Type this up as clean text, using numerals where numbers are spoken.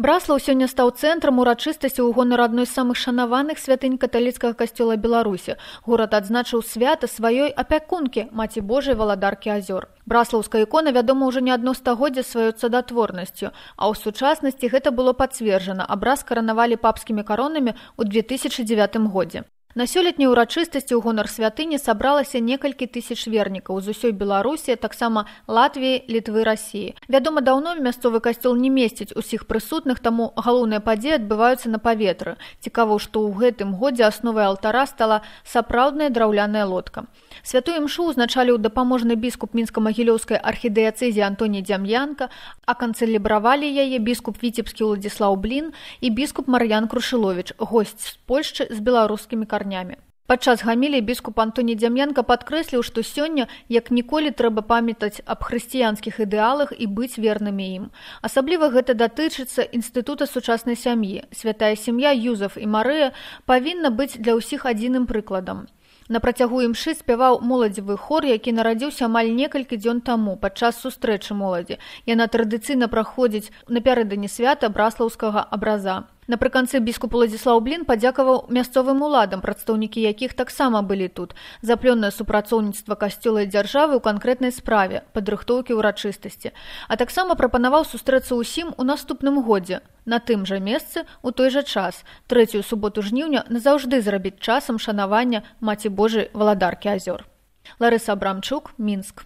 Браслаў сёння стаў цэнтрам урачыстасці ў гонар адной з самых шанаваных святынь каталіцкага касцёла Беларусі. Горад адзначыў свята сваёй апякункі, маці Божай валадаркі азёр. Браслаўская ікона вядома ўжо не адно стагоддзе сваёй цудатворнасцю, а ў сучаснасці гэта было пацверджана. Абраз каранавалі папскімі каронамі ў 2009 годзе. На сёлетняй урачыстасці ў гонар святыні сабралася некалькі тысяч вернікаў з усёй Беларусі, таксама Латвіі, Літвы, Расіі. Вядома, даўно мясцовы касцёл не месціць усіх прысутных, таму галоўныя падзеі адбываюцца на паветры. Цікава, што ў гэтым годзе асновай алтара стала сапраўдная драўляная лодка. Святую імшу ўзначалі ў дапаможны біскуп мінска-магілёўскай архідыяцэзіі Антоній Дзям'янка, а канцэлебравалі яе біскуп віцебскі Уладзіслаў Блін і біскуп Мар'ян Крушыловіч, госць з Польшчы з беларускімі карнямі. Падчас гаміліі біскуп Антоній Дзям'янка падкрэсліў, што сёння, як ніколі, трэба памятаць аб хрысціянскіх ідэалах і быць вернымі ім. Асабліва гэта датычыцца інстытута сучаснай сям'і. Святая сям'я Юзаф і Марыя павінна быць для ўсіх адзіным прыкладам. На працягу імшы спяваў моладзевы хор, які нарадзіўся амаль некалькі дзён таму падчас сустрэчы моладзі. Яна традыцыйна праходзіць напярэдадні свята браслаўскага абраза. Напрыканцы біскуп Уладзіслаў Блін падзякаваў мясцовым уладам, прадстаўнікі якіх таксама былі тут, за плённае супрацоўніцтва касцёла і дзяржавы ў канкрэтнай справе, падрыхтоўкі ўрачыстасці. А таксама прапанаваў сустрэцца ўсім у наступным годзе, на тым жа месцы, у той жа час, трэцюю суботу жніўня назаўжды зрабіць часам шанавання маці Божай валадаркі азёр. Ларыса Абрамчук, Мінск.